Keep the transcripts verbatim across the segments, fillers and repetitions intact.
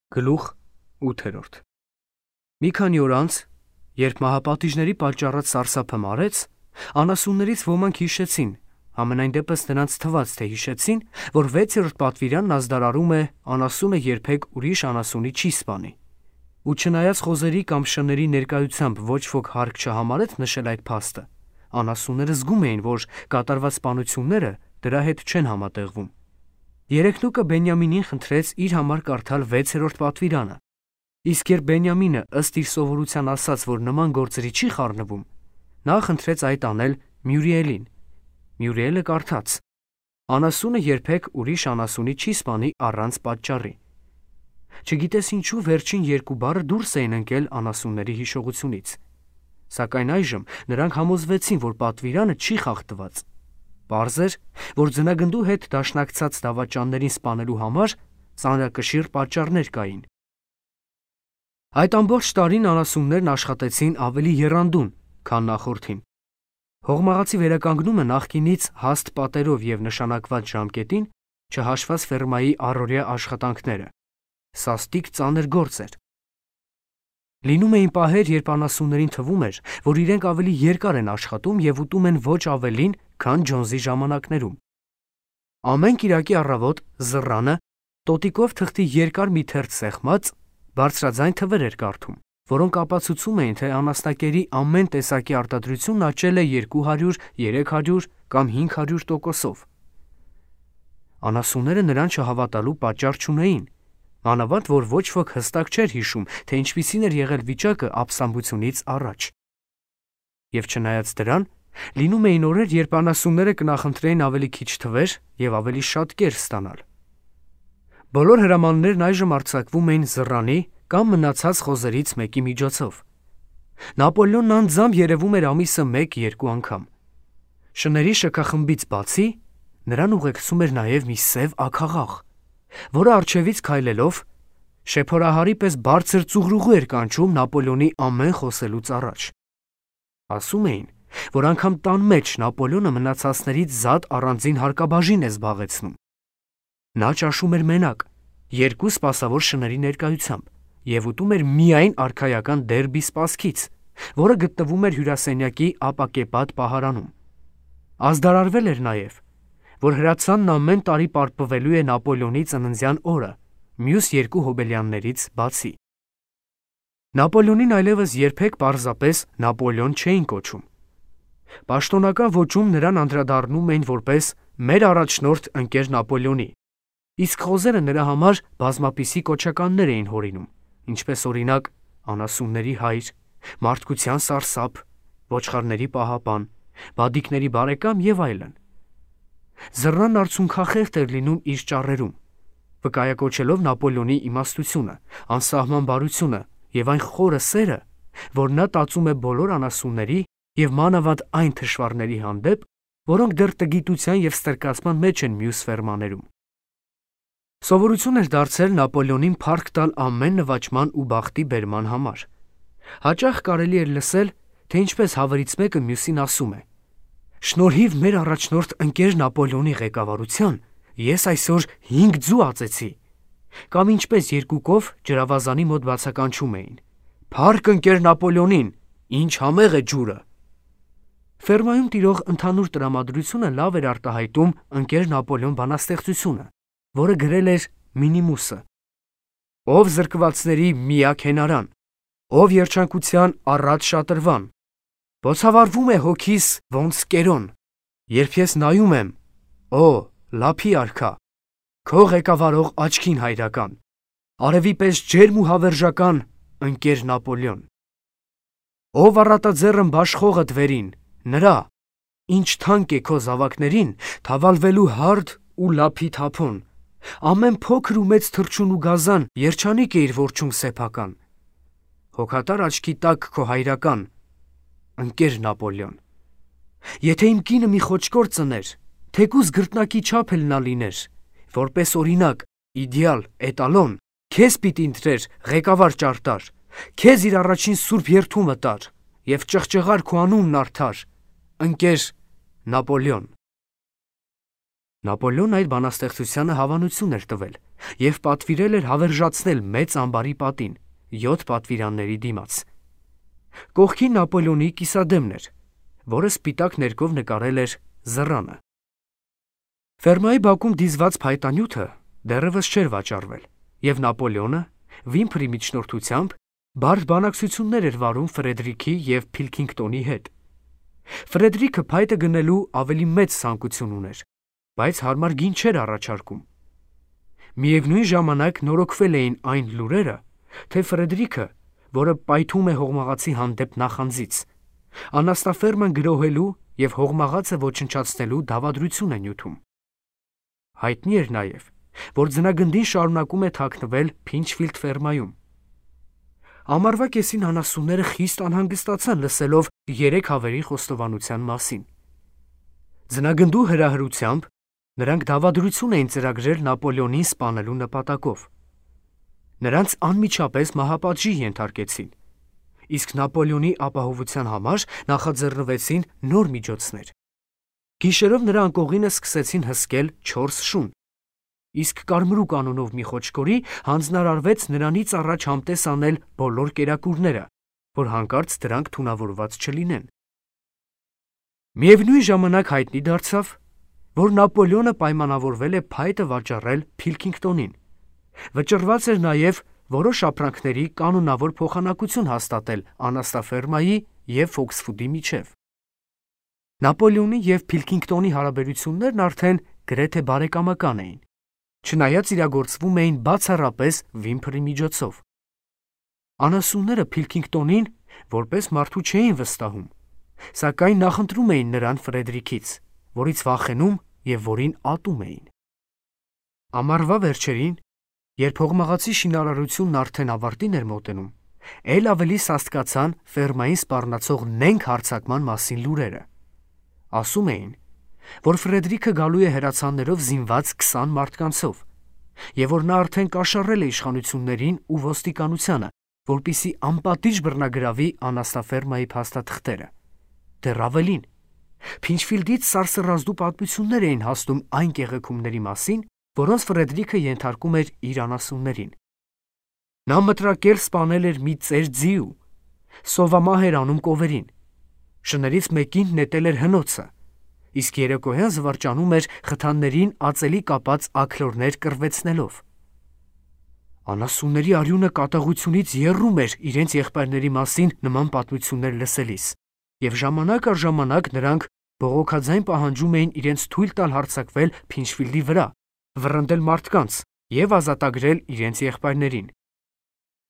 Գլուխ ութերորդ Մի քանի օր անց, երբ մահապատիժների պատճառած սարսափը մարեց, անասուններից ոմանք հիշեցին, համենայն դեպս նրանց թվաց, թե հիշեցին, որ վեցերորդ պատվիրանն ազդարարում է անասունը երբեք ուրիշ անասունի չի սպանի։ Ու չնայած խոզերի կամ շների ներկայությամբ ոչ ոք հարկ չհամարեց նշել այդ փաստը, անասունները զգում էին, որ կատարված սպանությունները դրա հետ չեն համատեղվում։ Երեքնուկը Բենյամինին խնդրեց իր համար կարդալ վեցերորդ պատվիրանը, իսկ երբ Բենյամինը ըստ իր սովորության ասաց, որ նման գործերի չի խառնվում, նա խնդրեց այդ անել Մյուրիելին։ Մյուրիելը կարդաց. «Անասունը երբեք ուրիշ անասունի չի սպանի առանց պատճառի»։ Չգիտես ինչու վերջին երկու բառը դուրս էին ընկել անասունների հիշողությունից, սակայն այժմ նրանք համոզվեցին, որ պատվիրանը չի խախտված։ Պարզ էր, որ ձնագնդու հետ դաշնակցած դավաճաններին սպանելու համար ծանրակշիռ պատճառներ կային։ Այդ ամբողջ տարին անասուններն աշխատեցին ավելի եռանդուն, քան նախորդին։ Հողմաղացի վերականգնումը նախկինից հաստ պատերով և նշանակված ժամկետին, չհաշված ֆերմայի առօրյա աշխատանքները, սաստիկ ծանր գործ էր։ Լինում էին պահեր, երբ անասուններին թվում էր, որ իրենք ավելի երկար են աշխատում և ուտում են ոչ ավելին, քան Ջոնսի ժամանակներում։ Ամեն կիրակի առավոտ զռանը տոտիկով թղթի երկար մի թերթ սեղմած, բարձրաձայն թվեր էր կարդում, որոնք ապացուցում էին, թե անասնակերի ամեն տեսակի արտադրությունն աճել է երկու հարյուր, երեք հարյուր կամ հինգ հարյուր տոկոսով։ Անասունները նրան չհավատալու պատճառ չունեին, մանավանդ որ ոչ ոք հստակ չէր հիշում, թե ինչպիսին էր եղել վիճակը ապստամբությունից առաջ։ Եվ չնայած դրան, լինում էին օրեր, երբ անասունները կնախընտրեին ավելի քիչ թվեր և ավելի շատ կեր ստանալ։ Բոլոր հրամաններն այժմ արձակվում էին զռանի կամ մնացած խոզերից մեկի միջոցով։ Նապոլեոնն անձամբ երևում էր ամիսը մեկ-երկու անգամ։ Շների շքախմբից բացի, նրան ուղեկցում էր նաև մի սև աքաղաղ, որը առջևից քայլելով շեփորահարի պես բարձր ծուղրուղու էր կանչում Նապոլեոնի ամեն խոսելուց առաջ։ Ասում էին, որ անգամ տան մեջ Նապոլեոնը մնացածներից զատ առանձին հարկաբաժին է զբաղեցնում։ Նա ճաշում էր մենակ, երկու սպասավոր շների ներկայությամբ, և ուտում էր միայն արքայական դերբի սպասքից, որը գտնվում էր հյուրասենյակի ապակեպատ պահարանում։ Ազդարարվել էր նաև, որ հրացանն ամեն տարի պարպվելու է Նապոլեոնի ծննդյան օրը, մյուս երկու հոբելյաններից բացի։ Նապոլեոնին այլևս երբեք պարզապես Նապոլեոն չէին կոչում։ Պաշտոնական ոճում նրան անդրադառնում էին որպես «մեր առաջնորդ ընկեր Նապոլեոնի», իսկ խոզերը նրա համար բազմապիսի կոչականներ էին հորինում, ինչպես օրինակ «անասունների հայր», «մարդկության սարսափ», «ոչխարների պահապան», «բադիկների բարեկամ» և այլն։ Զռանն արցունքախեղդ էր լինում իր ճառերում, վկայակոչելով Նապոլեոնի իմաստությունը, անսահման բարությունը և այն խորը սերը, որ նա տածում է բոլոր անասունների և մանավանդ այն թշվառների հանդեպ, որոնք դեռ տգիտության և ստրկացման մեջ են մյուս ֆերմաներում։ Սովորություն էր դարձել Նապոլեոնին փառք տալ ամեն նվաճման ու բախտի բերման համար։ Հաճախ կարելի էր լսել, թե ինչպես հավերից մեկը մյուսին ասում է. «Շնորհիվ մեր առաջնորդ ընկեր Նապոլեոնի ղեկավարության ես այսօր հինգ ձու ածեցի», կամ ինչպես երկուկով ջրավազանի մոտ բացականչում էին. «Փառք ընկեր Նապոլեոնին, ինչ համեղ է ջուրը»։ Ֆերմայում տիրող ընդհանուր տրամադրությունը լավ էր արտահայտում ընկեր Նապոլեոն բանաստեղծությունը, որը գրել էր Մինիմուսը. «Ով զրկվածների միակ հենարան, ով երջանկության առատ շատրվան, բոցավառվում է հոգիս ոնց կերոն, երբ ես նայում եմ, օ, լափի արքա, քո ղեկավարող աչքին հայրական, արևի պես ջերմ ու հավերժական ընկեր Նապոլեոն։ Ով առատաձեռն բաշխողդ վերին, նրա, ինչ թանկ է քո զավակներին, թավալվելու հարդ ու լափի թափոն, ամեն փոքր ու մեծ թռչուն ու գազան երջանիկ է իր որջում սեփական, հոգատար աչքի տակ քո հայրական, ընկեր Նապոլեոն։ Եթե իմ կինը մի խոճկոր ծներ, թեկուզ գրտնակի չափ էլ նա լիներ, որպես օրինակ, իդեալ, էտալոն, քեզ պիտի ընտրեր ղեկավար ճարտար, քեզ իր առաջին սուրբ երդումը տար և ճղճղար քո անունն արդար, ընկեր Նապոլեոն»։ Նապոլեոնն այդ բանաստեղծությանը հավանություն էր տվել, և պատվիրել էր հավերժացնել մեծ ամբարի պատին, յոթ պատվիրանների դիմաց։ Կողքին Նապոլեոնի կիսադեմն էր, որը սպիտակ ներկով նկարել էր զռանը։ Ֆերմայի բակում դիզված փայտանյութը դեռևս չէր վաճառվել, և Նապոլեոնը Վիմփրի միջնորդությամբ բարդ բանակցություններ էր վարում Ֆրեդրիքի և Փիլքինգտոնի հետ։ Ֆրեդրիքը փայտը գնելու ավելի մեծ ցանկություն ուներ, բայց հարմար գին չէր առաջարկում։ Միևնույն ժամանակ նորոգվել էին այն լուրերը, թե Ֆրեդրիքը, որը պայթում է հողմաղացի հանդեպ նախանձից, անասնաֆերման գրոհելու և հողմաղացը ոչնչացնելու դավադրություն է նյութում։ Հայտնի էր նաև, որ ձնագնդին շարունակում է թաքնվել Փինչֆիլդ ֆերմայում։ Ամառվա կեսին անասունները խիստ անհանգստացան լսելով երեք հավերի խոստովանության մասին։ Ձնագնդու հրահրությամբ նրանք դավադրություն էին ծրագրել Նապոլեոնին սպանելու նպատակով։ Նրանց անմիջապես մահապատժի ենթարկեցին, իսկ Նապոլեոնի ապահովության համար նախաձեռնվեցին նոր միջոցներ։ Գիշերով նրա անկողինը սկսեցին հսկել չորս շուն, իսկ Կարմրուկ անունով մի խոչկորի հանձնարարվեց նրանից առաջ համտես անել բոլոր կերակուրները, որ հանկարծ դրանք թունավորված չլինեն։ Միևնույն ժամանակ հայտնի դարձավ, որ Նապոլեոնը պայմանավորվել է փայտը վաճառել Փիլքինգտոնին։ Վճռված էր նաև որոշ ապրանքների կանոնավոր փոխանակություն հաստատել անասնաֆերմայի և Ֆոքսվուդի միջև։ Նապոլեոնի և Փիլքինգտոնի հարաբերություններն արդեն գրեթե բարեկամական էին, չնայած իրագործվում էին բացառապես Վիմփրի միջոցով։ Անասունները Փիլքինգտոնին որպես մարդու չէին վստահում, սակայն նախընտրում էին նրան Ֆրեդրիքից, որից վախենում և որին ատում էին։ Ամառվա վերջերին, երբ հողմաղացի շինարարությունն արդեն ավարտին էր մոտենում, էլ ավելի սաստկացան ֆերմային սպառնացող նենգ հարձակման մասին լուրերը։ Ասում էին, որ Ֆրեդրիքը գալու է հրացաններով զինված քսան մարդկանցով, և որ նա արդեն կաշառել է իշխանություններին ու ոստիկանությանը, որպեսզի անպատիժ բռնագրավի անասնաֆերմայի փաստաթղթերը։ Դեռ ավելին, Փինչֆիլդից սարսռազդու պատմություններ էին հասնում այն կեղեքումների մասին, որոնց Ֆրեդրիքը ենթարկում էր իր անասուններին։ Նա մտրակել սպանել էր մի ծեր ձիու, սովամահ էր անում կովերին, շներից մեկին նետել էր հնոցը, իսկ երեկոյան զվարճանում էր խթաններին ածելի կապած աքլորներ կռվեցնելով։ Անասունների արյունը կատաղությունից եռում էր իրենց եղբայրների մասին նման պատմություններ լսելիս, և ժամանակ առ ժամանակ նրանք բողոքաձայն պահանջում էին իրենց թույլ տալ հարձակվել Փինչֆիլդի վրա, վռնդել մարդկանց և ազատագրել իրենց եղբայրներին։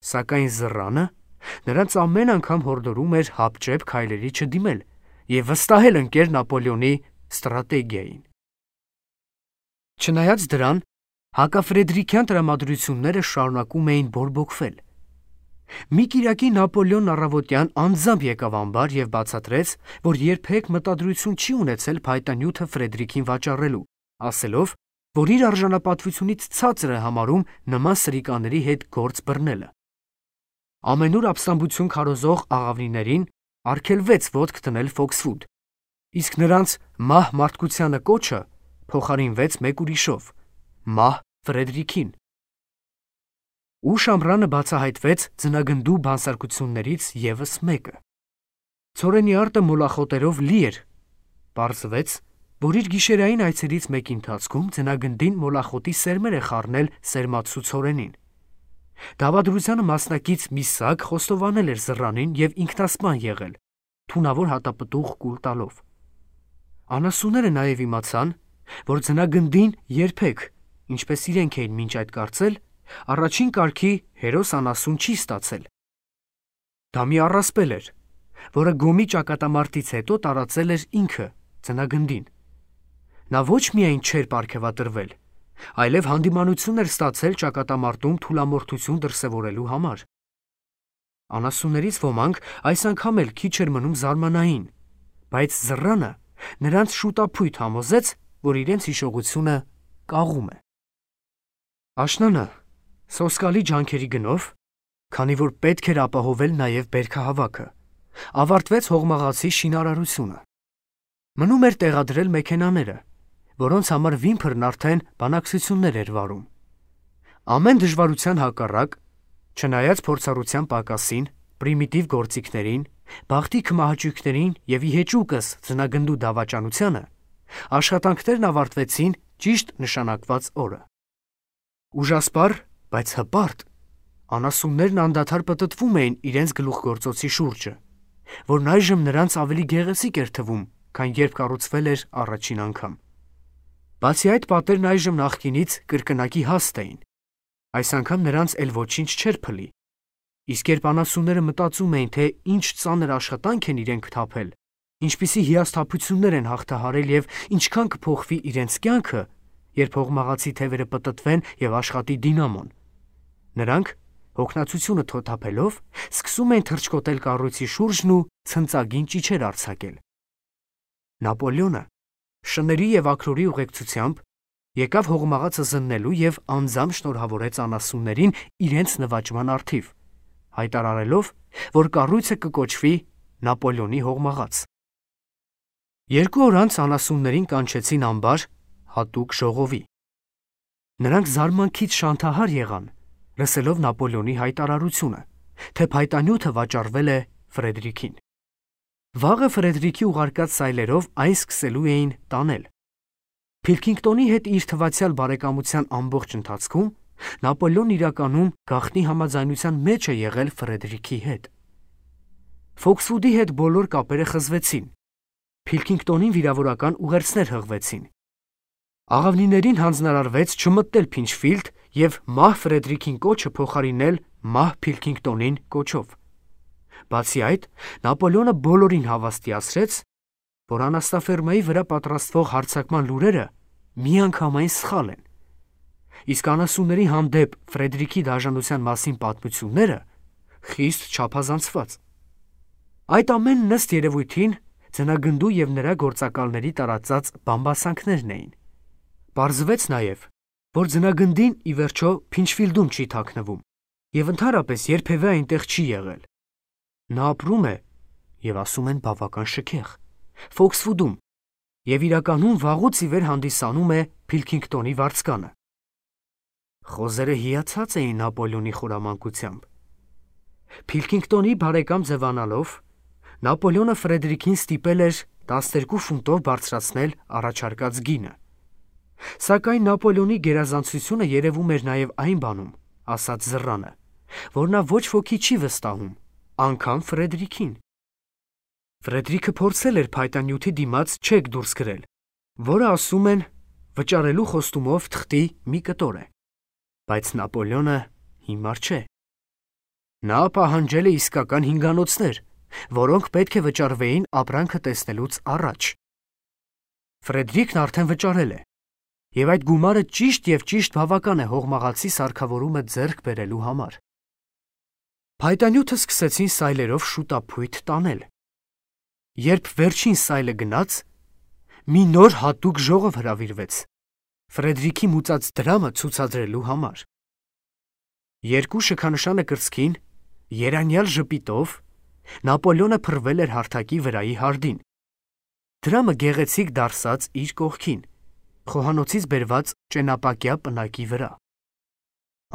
Սակայն զռանը նրանց ամեն անգամ հորդորում էր հապճեպ քայլերի չդիմել և վստահել ընկեր Նապոլեոնի ստրատեգիային։ Չնայած դրան, հակաֆրեդրիքյան տրամադրությունները շարունակում էին բորբոքվել։ Մի կիրակի Նապոլեոնն առավոտյան անձամբ եկավ ամբար և բացատրեց, որ երբեք մտադրություն չի ունեցել փայտանյութը Ֆրեդրիքին վաճառելու, ասելով, որ իր արժանապատվությունից ցածր է համարում նման սրիկաների հետ գործ բռնելը։ Ամենուր ապստամբություն քարոզող աղավնիներին արգելվեց ոտք դնել Ֆոքսվուդ, իսկ նրանց մահ մարդկությանը կոչը փոխարինվեց մեկ ուրիշով՝ մահ Ֆրեդրիքին։ Ուշ ամռանը բացահայտվեց ձնագնդու բանսարկություններից ևս մեկը։ Ցորենի արտը մոլախոտերով լի էր։ Պարզվեց, որ իր գիշերային այցերից մեկի ընթացքում ձնագնդին մոլախոտի սերմեր է խառնել սերմացու ցորենին։ Դավադրությանը մասնակից մի սակ խոստովանել էր զռանին և ինքնասպան եղել, թունավոր հատապտուղ կուլ տալով։ Անասունները նաև իմացան, որ ձնագնդին երբեք, ինչպես իրենք էին մինչ այդ կարծել, առաջին կարգի հերոս անասուն չի ստացել։ Դա մի առասպել էր, որը Գոմի ճակատամարտից հետո տարածել էր ինքը ձնագնդին։ Նա ոչ միայն չէր պարգևատրվել, այլև հանդիմանություն էր ստացել ճակատամարտում թուլամորթություն դրսևորելու համար։ Անասուններից ոմանք այս անգամ էլ քիչ էր մնում զարմանային, բայց զռանը նրանց շուտափույթ համոզեց, որ իրենց հիշողությունը կաղում է։ Աշնանը սոսկալի ջանքերի գնով, քանի որ պետք էր ապահովել նաև բերքահավաքը, ավարտվեց հողմաղացի շինարարությունը։ Մնում էր տեղադրել մեքենաները, որոնց համար Վիմփրն արդեն բանակցություններ էր վարում։ Ամեն դժվարության հակառակ, չնայած փորձառության պակասին, պրիմիտիվ գործիքներին, բախտի քմահաճույքներին եւ ի հեճուկս ձնագնդու դավաճանությանը, աշխատանքներն ավարտվեցին ճիշտ նշանակված օրը։ Ուժասպառ, բայց հպարտ, անասուններն անդադար պտտվում էին իրենց գլուխգործոցի շուրջը, որն այժմ նրանց ավելի գեղեցիկ էր թվում, քան երբ կառուցվել էր առաջին անգամ։ Բացի այդ, պատերն այժմ նախկինից կրկնակի հաստ էին։ Այս անգամ նրանց էլ ոչինչ չէր փլի։ Իսկ երբ անասունները մտածում էին, թե ինչ ծանր աշխատանք են իրենք թափել, ինչպիսի հիասթափություններ են հաղթահարել եւ ինչքան կփոխվի իրենց կյանքը, երբ հողմաղացի թևերը պտտվեն եւ աշխատի դինամոն, նրանք, հոգնածությունը թոթափելով, սկսում էին թռչկոտել կառույցի շուրջն ու ցնծագին ճիչեր արձակել։ Նապոլեոնը շների եւ աքրորի ուղեկցությամբ եկավ հողմաղացը զննելու եւ անձամբ շնորհավորեց անասուններին իրենց նվաճման առթիվ, հայտարարելով, որ կառույցը կկոչվի Նապոլեոնի հողմաղաց։ Երկու օր անց անասուններին կանչեցին ամբար հատուկ ժողովի։ Նրանք զարմանքից շանթահար եղան, լսելով Նապոլեոնի հայտարարությունը, թե փայտանյութը վաճառվել է Ֆրեդերիկին։ Վաղը Ֆրեդերիկի ուղարկած սայլերով այն սկսելու էին տանել։ Փիլքինգտոնի հետ իր թվացյալ բարեկամության ամբողջ ընթացքում Նապոլեոնն իրականում գաղտնի համաձայնության մեջ է եղել Ֆրեդերիկի հետ։ Ֆոքսվուդի հետ բոլոր կապերը խզվեցին։ Փիլքինգտոնին վիրավորական ուղերձներ հղվեցին։ Աղավնիներին հանձնարարվեց չմտնել Փինչֆիլդ եւ մահ Ֆրեդերիկին կոչը փոխարինել մահ Փիլքինգտոնին կոչով։ Բացի այդ, Նապոլեոնը բոլորին հավաստիացրեց, որ անաստաֆերմայի վրա պատրաստվող հարձակման լուրերը միանգամայն սխալ են, իսկ անասունների հանդեպ Ֆրեդերիկի դաժանության մասին պատմությունները խիստ չափազանցված։ Այդ ամենն ըստ երևույթին ձնագնդու եւ նրա գործակալների տարածած բամբասանքներն էին։ Պարզվեց նաեւ, որ ձնագնդին ի վերջո Փինչֆիլդում չի թաքնվում եւ ընդհանրապես երբևէ այնտեղ չի եղել։ Նա ապրում է եւ ասում են բավական շքեղ Ֆոքսվուդում եւ իրականում վաղուց ի վեր հանդիսանում է Փիլքինգտոնի վարձկանը։ Խոզերը հիացած էին Նապոլեոնի խորամանկությամբ։ Փիլքինգտոնի բարեկամ ձևանալով, Նապոլեոնը Ֆրեդերիկին ստիպել էր տասներկու ֆունտով բարձրացնել առաջարկած գինը։ Սակայն Նապոլեոնի գերազանցությունը երևում էր նաև այն բանում, ասաց Զռանը, որ նա ոչ ոքի չի վստահում, անգամ Ֆրեդերիկին։ Ֆրեդերիկը փորձել էր փայտանյութի դիմաց չեկ դուրս գրել, որը ասում են վճարելու խոստումով թղթի մի կտոր է, բայց Նապոլեոնը հիմար չէ։ Նա պահանջել է իսկական հինգանոցներ, որոնք պետք է վճարվեին ապրանքը տեսնելուց առաջ։ Ֆրեդերիկն արդեն վճարել է, եւ այդ գումարը ճիշտ եւ ճիշտ բավական է հողմաղացի սարքավորումը ձեռք բերելու համար։ Փայտանյութը սկսեցին սայլերով շուտափույթ տանել։ Երբ վերջին սայլը գնաց, մի նոր հատուկ ժողով հրավիրվեց Ֆրեդերիկի մուծած դրամը ցուցադրելու համար։ Երկու շքանշանը կրծքին, երանյալ ժպիտով, Նապոլեոնը փռվել էր հարթակի վրայի հարդին։ Դրամը գեղեցիկ դարսած իր կողքին, խոհանոցից բերված ճենապակյա պնակի վրա։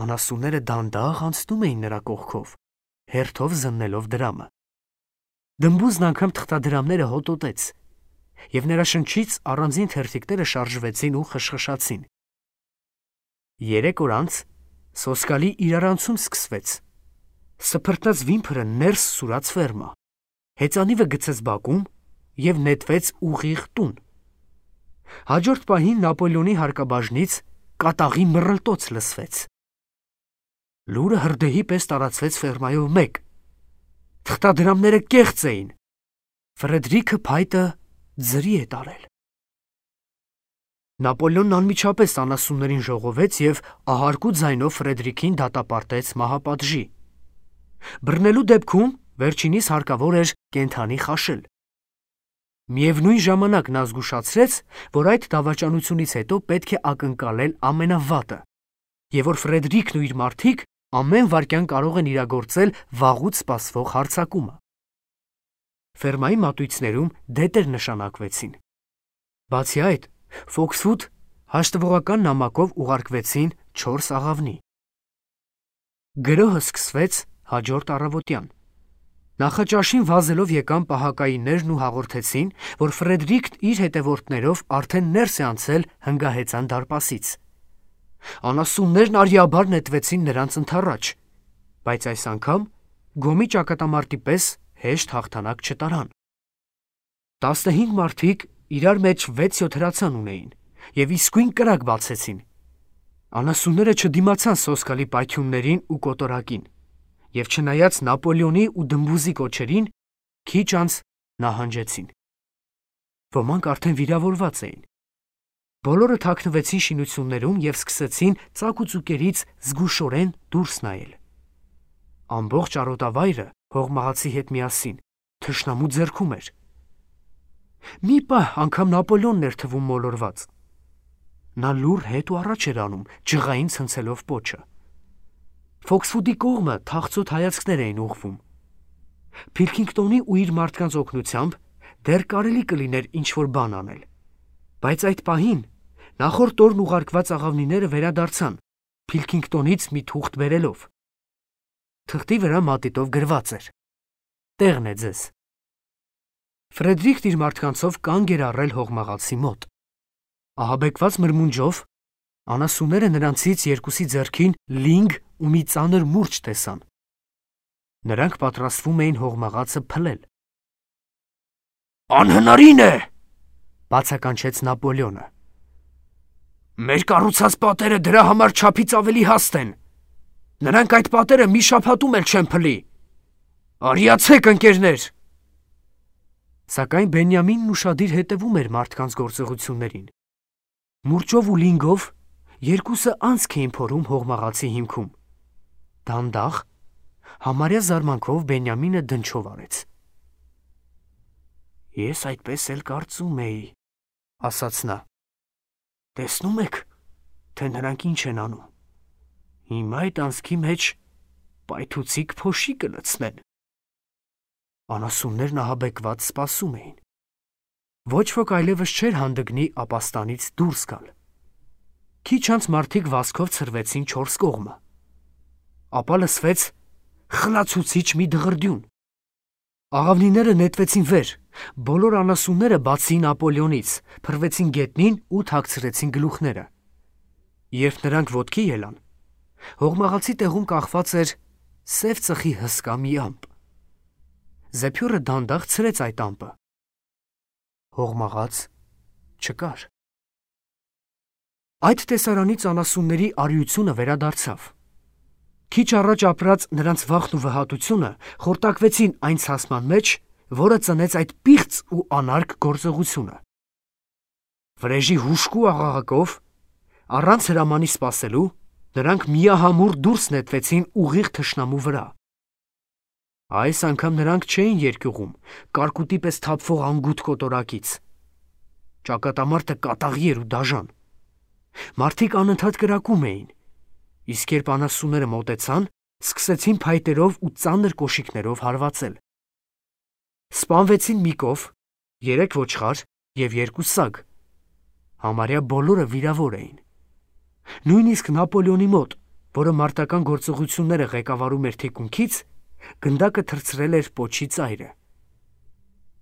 Անասունները դանդաղ անցնում էին նրա կողքով, հերթով զննելով դրամը։ Դմբուզն անգամ թղթադրամները հոտոտեց, եւ նրա շնչից առանձին թերթիկները շարժվեցին ու խշխշացին։ Երեք օր անց սոսկալի իրարանցում սկսվեց։ Սփռտնած վիմփրը ներս սուրաց ֆերմա, հեծանիվը գցեց բակում եւ նետվեց ուղիղ տուն։ Հաջորդ պահին Նապոլեոնի հարկաբաժնից կատաղի մռլտոց լսվեց։ Լուրը հրդեհի պես տարածվեց ֆերմայով մեկ։ Թղթադրամները կեղծ էին։ Ֆրեդերիկը փայտը ձրի է տարել։ Նապոլեոնն անմիջապես անասուններին ժողովեց եւ ահարկու ձայնով Ֆրեդերիկին դատապարտեց մահապատժի։ Բռնելու դեպքում վերջինիս հարկավոր էր կենթանի խաշել։ Միևնույն ժամանակ նա զգուշացրեց, որ այդ դավաճանությունից հետո պետք է ակնկալել ամենավատը, եւ որ Ֆրեդերիկն ու իր մարդիկ ամեն վայրկյան կարող են իրագործել վաղուց սպասվող հարձակումը։ Ֆերմայի մատույցներում դետեր նշանակվեցին։ Բացի այդ, Ֆոքսվուդ հաշտվողական նամակով ուղարկվեցին չորս աղավնի։ Գրոհը սկսվեց հաջորդ առավոտյան։ Նախաճաշին վազելով եկան պահակայիններն ու հաղորդեցին, որ Ֆրեդրիկն իր հետևորդներով արդեն ներս է անցել հնգահեծան դարպասից։ Անասուններն արիաբար նետվեցին նրանց ընդառաջ, բայց այս անգամ գոմի ճակատամարտի պես հեշտ հաղթանակ չտարան։ Տասնհինգ մարդիկ իրար մեջ վեց-յոթ հրացան ունեին և իսկույն կրակ բացեցին։ Անասունները չդիմացան սոսկալի պայթյուններին ու կոտորակին, և չնայած Նապոլեոնի ու դմբուզի կոչերին, քիչ անց նահանջեցին։ Ոմանք արդեն վիրավորված էին։ Բոլորը թաքնվեցին շինություններում և սկսեցին ծակուծուկերից զգուշորեն դուրս նայել։ Ամբողջ արոտավայրը հողմահացի հետ միասին թշնամու ձեռքում էր։ Մի պահ անգամ Նապոլեոնն էր թվում մոլորված։ Նա լուռ հետ ու առաջ էր անում, ջղային ցնցելով պոչը։ Ֆոքսվուդի կողմը թախծոտ հայացքներ էին ուղղվում։ Փիլքինգտոնի ու իր մարդկանց օգնությամբ դեռ կարելի կլիներ ինչ-որ բան անել, բայց այդ պահին նախորդ օրն ուղարկված աղավնիները վերադարձան, Փիլքինգտոնից մի թուղթ բերելով։ Թղթի վրա մատիտով գրված էր. «Տեղն է ձեզ»։ Ֆրեդրիկն իր մարդկանցով կանգ էր առել հողմաղացի մոտ։ Ահաբեկված մրմունջով անասունները նրանցից երկուսի ձեռքին լինգ ու մի ծանր մուրջ տեսան։ Նրանք պատրաստվում էին հողմաղացը փլել։ «Անհնարին է!» բացականչեց Նապոլեոնը։ «Մեր կառուցած պատերը դրա համար չափից ավելի հաստ են։ Նրանք այդ պատերը մի շաբաթում էլ չեն փլի։ Արիացեք, ընկերներ»։ Սակայն Բենյամինն ուշադիր հետևում էր մարդկանց գործողություններին։ Մուրճով ու լինգով երկուսը անցք էին փորում հողմաղացի հիմքում։ Դանդաղ, համարյա զարմանքով Բենյամինը դնչով արեց։ «Ես այդպես էլ կարծում էի», ասաց նա։ «Տեսնում եք, թե նրանք ինչ են անում։ Հիմա այդ անցքի մեջ պայթուցիկ փոշի կլցնեն»։ Անասուններն ահաբեկված սպասում էին։ Ոչ ոք այլևս չէր հանդգնի ապաստանից դուրս գալ։ Քիչ անց մարդիկ վազքով ցրվեցին չորս կողմը։ Ապա լսվեց խլացուցիչ մի դղրդյուն։ Աղավնիները նետվեցին վեր, բոլոր անասունները բացի Նապոլեոնից փռվեցին գետնին ու թաքցրեցին գլուխները։ Երբ նրանք ոտքի ելան, հողմաղացի տեղում կախված էր սև ծխի հսկա մի ամպ։ Զեփյորը դանդաղ ցրեց այդ ամպը։ Հողմաղաց չկար։ Այդ տեսարանից անասունների արիությունը վերադարձավ։ Քիչ առաջ ապրած նրանց վախն ու վհատությունը խորտակվեցին այն ցասման մեջ, որը ծնեց այդ պիղծ ու անարգ գործողությունը։ Վրեժի հուժկու աղաղակով, առանց հրամանի սպասելու, նրանք միահամուռ դուրս նետվեցին ուղիղ թշնամու վրա։ Այս անգամ նրանք չէին երկյուղում, կարկուտի պես թափվող անգութ կոտորակից։ Ճակատամարտը կատաղի էր ու դաժան։ Մարդիկ անընդհատ կրակում էին, իսկ երբ անասունները մոտեցան, սկսեցին փայտերով ու ծանր կոշիկներով հարվածել։ Սպանվեցին մի կով, երեք ոչխար և երկու սագ։ Համարյա բոլորը վիրավոր էին։ Նույնիսկ Նապոլեոնի մոտ, որը մարտական գործողությունները ղեկավարում էր թիկունքից, գնդակը թռցրել էր պոչի ծայրը։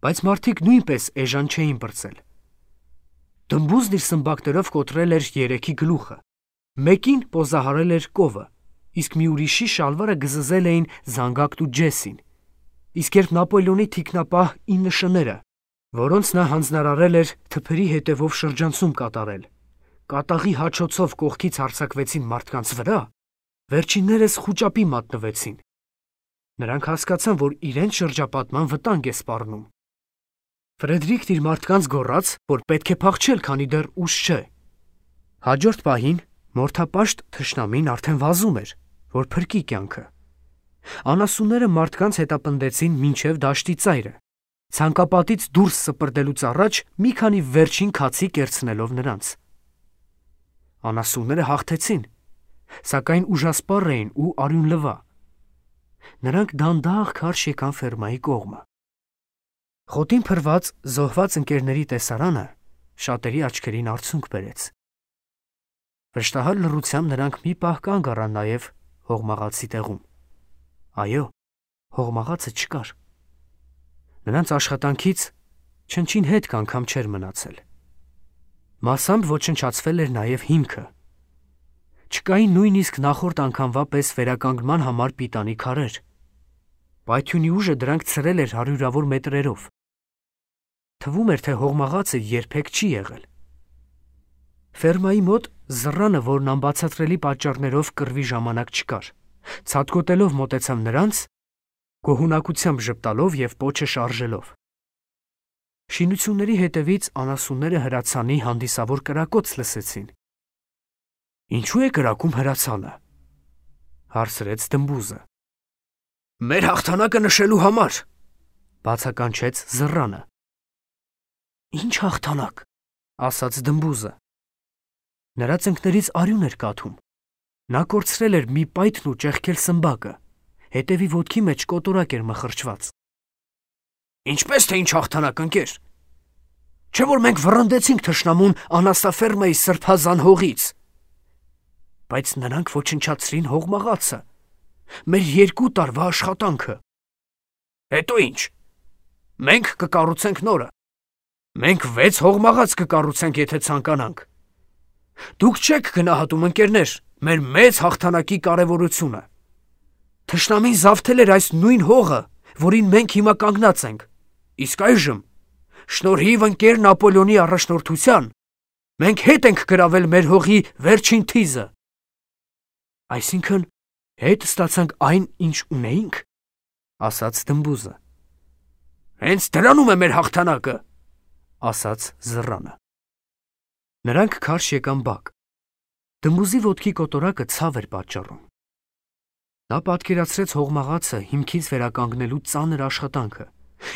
Բայց մարդիկ նույնպես էժան չէին պրծել։ Դմբուզն իր սմբակներով կոտրել էր երեքի գլուխը, մեկին պոզահարել էր կովը, իսկ մի ուրիշի շալվարը գզզել էին Զանգակն ու Ջեսին, իսկ երբ Նապոլեոնի թիկնապահ ինը շները, որոնց նա հանձնարարել էր թփերի հետևով շրջանցում կատարել, կատաղի հաչոցով կողքից հարձակվեցին մարդկանց վրա, վերջիններս խուճապի մատնվեցին։ Նրանք հասկացան, որ իրենց շրջապատման վտանգ է սպառնում։ Ֆրեդրիկն իր մարդկանց գոռաց, որ պետք է փախչել, քանի դեռ ուշ չէ։ Հաջորդ պահին մորթապաշտ թշնամին արդեն վազում էր, որ փրկի կյանքը։ Անասունները մարդկանց հետապնդեցին մինչև դաշտի ծայրը, ցանկապատից դուրս սպրդելուց առաջ մի քանի վերջին քացի կերցնելով նրանց։ Անասունները հաղթեցին, սակայն ուժասպառ էին ու արյունլվա։ Նրանք դանդաղ քարշ եկան ֆերմայի կողմը։ Խոտին փրված զոհված ընկերների տեսարանը շատերի աչքերին արցունք բերեց։ Վշտահար լռությամբ նրանք մի պահ կանգ առան նաև հողմաղացի տեղում։ Այո, հողմաղացը չկար։ Նրանց աշխատանքից չնչին հետք անգամ չէր մնացել։ Մասամբ ոչնչացվել էր նաև հիմքը։ Չկային նույնիսկ նախորդ անգամվա պես վերականգնման համար պիտանի քարեր։ Պայթյունի ուժը դրանք ցրել էր հարյուրավոր մետրերով։ Թվում էր, թե հողմաղացը երբեք չի եղել։ Ֆերմայի մոտ զռանը, որն անբացատրելի պատճառներով կռվի ժամանակ չկար, ցատկոտելով մոտեցավ նրանց, գոհունակությամբ ժպտալով և պոչը շարժելով։ Շինությունների հետևից անասունները հրացանի հանդիսավոր կրակոց լսեցին։ Ինչու է կրակում հրացանը, հարցրեց դմբուզը։ Մեր հաղթանակը նշելու համար, բացականչեց զռանը։ Ինչ հաղթանակ, ասաց դմբուզը։ Նրա ծնկներից արյուն էր կաթում։ Նա կորցրել էր մի պայթն ու ճեղքել սմբակը, հետևի ոտքի մեջ կոտորակ էր մխրճված։ Ինչպես թե ինչ հաղթանակ, ընկեր։ Չէ՞ որ մենք վռնդեցինք թշնամուն անասաֆերմայի սրբազան հողից։ Բայց նրանք ոչնչացրին հողմաղացը, մեր երկու տարվա աշխատանքը։ Հետո ինչ։ Մենք կկառուցենք նորը։ Մենք վեց հողմաղաց կկառուցենք, եթե ցանկանանք։ Դուք չեք գնահատում, ընկերներ, մեր մեծ հաղթանակի կարևորությունը։ Թշնամին զավթել էր այս նույն հողը, որին մենք հիմա կանգնած ենք։ Իսկ այժմ, շնորհիվ ընկեր Նապոլեոնի առաջնորդության, մենք հետ ենք գրավել մեր հողի վերջին թիզը։ Այսինքն, հետ ստացանք այն, ինչ ունեինք, ասաց դմբուզը։ Հենց դրանում է մեր հաղթանակը, ասաց զռանը։ Նրանք քարշ եկան բակ։ Դմբուզի ոտքի կոտորակը ցավ էր պատճառում։ Նա պատկերացրեց հողմաղացը հիմքից վերականգնելու ծանր աշխատանքը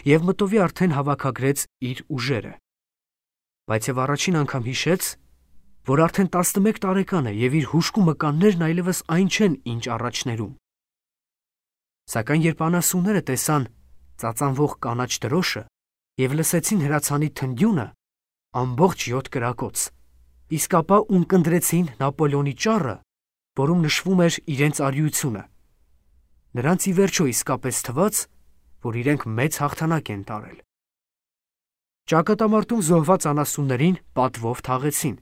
և մտովի արդեն հավաքագրեց իր ուժերը։ Բայց և առաջին անգամ հիշեց, որ արդեն տասնմեկ տարեկան է և իր հուժկու մկաններն այլևս այն չեն, ինչ առաջներում։ Սակայն երբ անասունները տեսան ծածանվող կանաչ դրոշը և լսեցին հրացանի թնդյունը, ամբողջ յոթ կրակոց, իսկ ապա ունկնդրեցին Նապոլեոնի ճառը, որում նշվում էր իրենց արիությունը, նրանց ի վերջո իսկապես թվաց, որ իրենք մեծ հաղթանակ են տարել։ Ճակատամարտում զոհված անասուններին պատվով թաղեցին։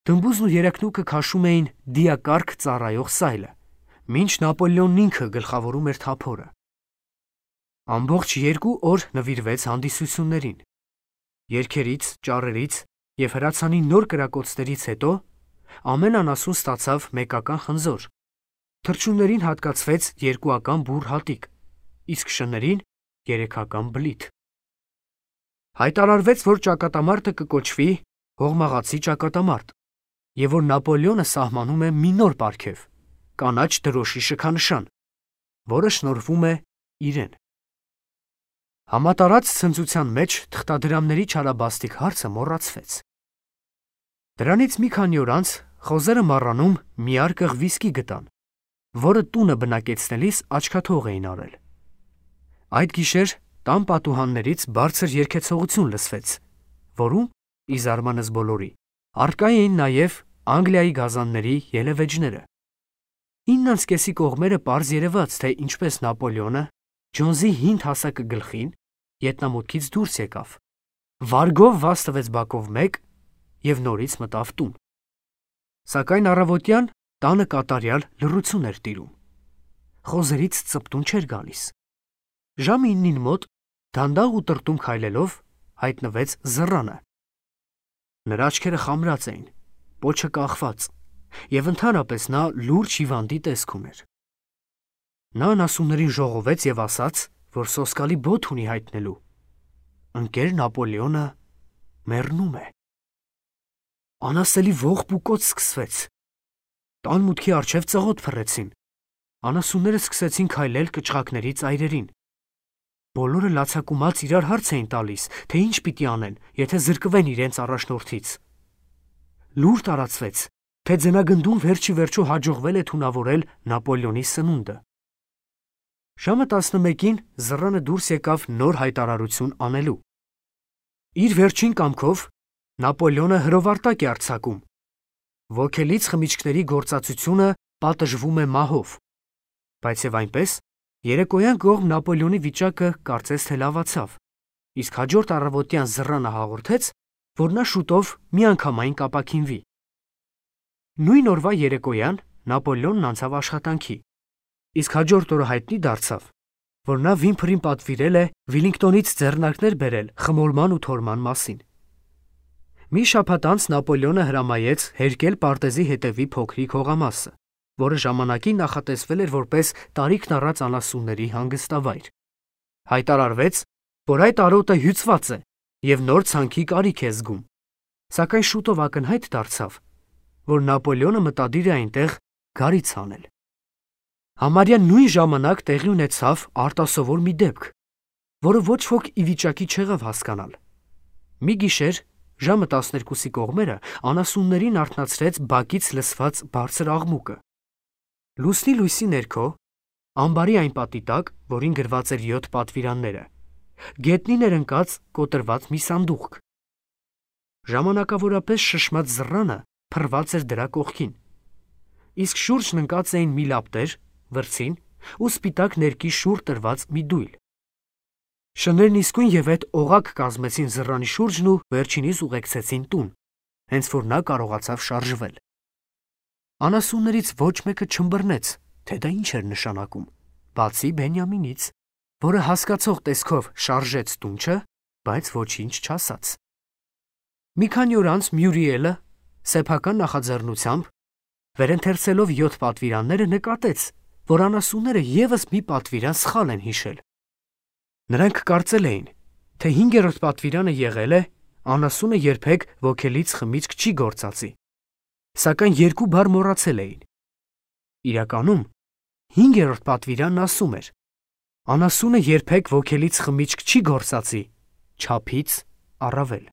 Դմբուզն ու երեքնուկը քաշում էին դիակարգ ծառայող սայլը, մինչ Նապոլեոնն ինքը գլխավորում էր թափորը։ Ամբողջ երկու օր նվիրվեց հանդիսություններին։ Երգերից, ճառերից և հրացանի նոր կրակոցներից հետո ամեն անասուն ստացավ մեկական խնձոր, թռչուններին հատկացվեց երկուական բուռ հատիկ, իսկ շներին երեքական բլիթ։ Հայտարարվեց, որ ճակատամարտը կկոչվի հողմաղացի ճակատամարտ և որ Նապոլեոնը սահմանում է մի նոր պարգև՝ կանաչ դրոշի շքանշան, որը շնորհվում է իրեն։ Համատարած ցնծության մեջ թղթադրամների չարաբաստիկ հարցը մոռացվեց։ Դրանից մի քանի օր անց խոզերը մառանում մի արկղ վիսկի գտան, որը տունը բնակեցնելիս աչքաթող էին արել։ Այդ գիշեր տան պատուհաններից բարձր երգեցողություն լսվեց, որում, ի զարմանս բոլորի, առկա էին նաև Անգլիայի գազանների ելևէջները։ Ինն անց կեսի կողմերը պարզ երևաց, թե ինչպես Նապոլեոնը Ջոնսի հին հասակը գլխին ետնամուտքից դուրս եկավ, վարգով վազ տվեց բակով մեկ և նորից մտավ տուն։ Սակայն առավոտյան տանը կատարյալ լռություն էր տիրում։ Խոզերից ծպտուն չէր գալիս։ Ժամը իննին մոտ, դանդաղ ու տրտում քայլելով, հայտնվեց զռանը։ Նրա աչքերը խամրած էին, պոչը կախված, և ընդհանրապես նա լուրջ հիվանդի տեսք ուներ։ Նա անասուններին ժողովեց և ասաց, որ սոսկալի բոթ ունի հայտնելու։ Ընկեր Նապոլեոնը մեռնում է։ Անասելի ողբ ու կոծ սկսվեց։ Տան մուտքի առջև ծղոտ փռեցին։ Անասունները սկսեցին քայլել կչղակների ծայրերին։ Բոլորը լացակումած իրար հարց էին տալիս, թե ինչ պիտի անեն, եթե զրկվեն իրենց առաջնորդից։ Լուր տարածվեց, թե ձնագնդում վերջի վերջո հաջողվել է թունավորել Նապոլեոնի սնունդը։ Ժամը տասնմեկին զռանը դուրս եկավ նոր հայտարարություն անելու։ Իր վերջին կամքով Նապոլեոնը հրովարտակ է արձակում։ Ոգելից խմիչքների գործածությունը պատժվում է մահով։ Բայց եւ այնպես երեկոյան կողմ Նապոլեոնի վիճակը կարծես թե լավացավ, իսկ հաջորդ առավոտյան զռանը հաղորդեց, որ նա շուտով միանգամայն կապաքինվի։ Նույն օրվա երեկոյան Նապոլեոնն անցավ աշխատանքի, իսկ հաջորդ օրը հայտնի դարձավ, որ նա Վիմփրին պատվիրել է Վիլինգտոնից ձեռնարկներ բերել խմորման ու թորման մասին։ Մի շաբաթ անց Նապոլեոնը հրամայեց հերկել պարտեզի հետևի փոքրիկ հողամասը, որը ժամանակին նախատեսվել էր որպես տարիքն առած անասունների հանգստավայր։ Հայտարարվեց, որ այդ արոտը հյուծված է եւ նոր ցանքի կարիք է զգում, սակայն շուտով ակնհայտ դարձավ, որ Նապոլեոնը մտադիր է այնտեղ գարից անել։ Համարյա նույն ժամանակ տեղի ունեցավ արտասովոր մի դեպք, որը ոչ ոք ի վիճակի չեղավ հասկանալ։ Մի գիշեր ժամը տասներկուսի կողմերը անասուններին արթնացրեց բակից լսված բարձր աղմուկը։ Լուսնի լույսի ներքո, ամբարի այն պատի տակ, որին գրված էր յոթ պատվիրանները, գետնին էր ընկած կոտրված մի սանդուղք։ Ժամանակավորապես շշմած զռանը փռված էր դրա կողքին, իսկ շուրջն ընկած էին մի լապտեր, վրձին ու սպիտակ ներկի շուռ տրված մի դույլ։ Շներն իսկույն եւ այդ օղակ կազմեցին զռանի շուրջն ու վերջինիս ուղեկցեցին տուն, հենց որ նա կարողացավ շարժվել։ Անասուններից ոչ մեկը չըմբռնեց, թե դա ինչ էր նշանակում, բացի Բենյամինից, որը հասկացող տեսքով շարժեց տունչը, բայց ոչինչ չասաց։ Մի քանի օր անց Մյուրիելը սեփական նախաձեռնությամբ վերընթերցելով յոթ պատվիրանները նկատեց, որ անասունները եւս մի պատվիրան սխալ են հիշել։ Նրանք կարծել էին, թե հինգերորդ պատվիրանը եղել է անասունը երբեք ոգելից խմիչք չի գործածի, սակայն երկու բառ մոռացել էին։ Իրականում հինգերորդ պատվիրանն ասում էր. անասունը երբեք ոգելից խմիչք չի գործածի, չափից առավել։